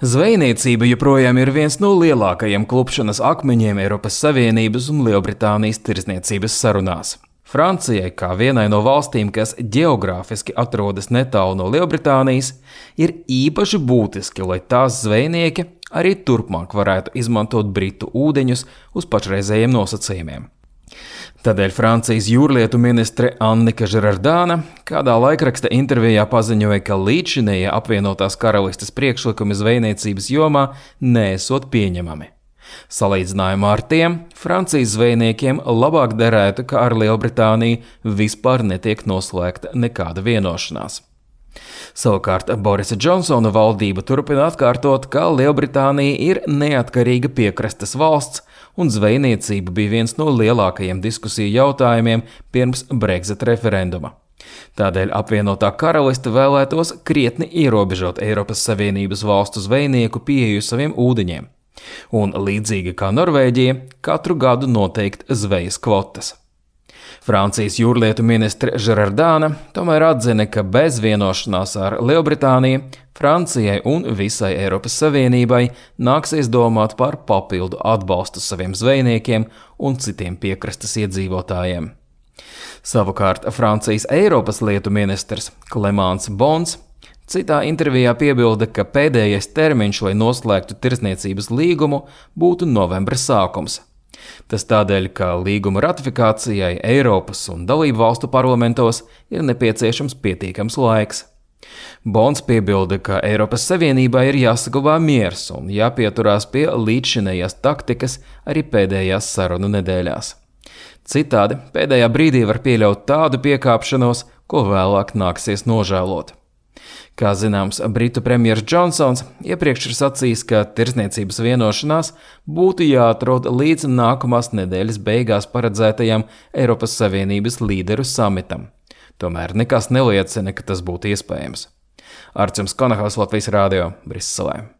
Zvejniecība joprojām ir viens no lielākajiem klupšanas akmeņiem Eiropas Savienības un Lielbritānijas tirdzniecības sarunās. Francijai, kā vienai no valstīm, kas ģeogrāfiski atrodas netālu no Lielbritānijas, ir īpaši būtiski, lai tās zvejnieki arī turpmāk varētu izmantot Britu ūdeņus uz pašreizējiem nosacījumiem. Tādēļ Francijas jūrlietu ministre Annika Žerardāna kādā laikraksta intervijā paziņoja, ka līdzinējie apvienotās karalistes priekšlikumi zvejniecības jomā neesot pieņemami. Salīdzinājumā ar tiem, Francijas zvejniekiem labāk derētu, ka ar Lielbritāniju vispār netiek noslēgta nekāda vienošanās. Savukārt Borisa Džonsona valdība turpina atkārtot, ka Lielbritānija ir neatkarīga piekrastes valsts, un zvejniecība bija viens no lielākajiem diskusiju jautājumiem pirms Brexit referenduma. Tādēļ apvienotā karaliste vēlētos krietni ierobežot Eiropas Savienības valstu zvejnieku pieeju saviem ūdeņiem, un līdzīgi kā Norvēģija, katru gadu noteikt zvejas kvotas. Francijas jūrlietu ministre Žerardāna tomēr atzina, ka bez vienošanās ar Lielbritāniju Francijai un visai Eiropas Savienībai nāksies domāt par papildu atbalstu saviem zvejniekiem un citiem piekrastes iedzīvotājiem. Savukārt Francijas Eiropas lietu ministrs Clément Beaune citā intervijā piebilda, ka pēdējais termiņš, lai noslēgtu tirdzniecības līgumu, būtu novembra sākums. Tas tādēļ, ka līguma ratifikācijai Eiropas un dalību valstu parlamentos ir nepieciešams pietiekams laiks. Beaune piebilda, ka Eiropas Savienībā ir jāsaglabā miers un jāpieturās pie līdzšinējās taktikas arī pēdējās sarunu nedēļās. Citādi pēdējā brīdī var pieļaut tādu piekāpšanos, ko vēlāk nāksies nožēlot. Kā zināms, Britu premjers Džonsons iepriekš ir sacījis, ka tirdzniecības vienošanās būtu jāatrod līdz nākamās nedēļas beigās paredzētajam Eiropas Savienības līderu samitam. Tomēr nekas neliecina, ka tas būtu iespējams. Arčuns Konahaus, Latvijas Rādio, Briselē.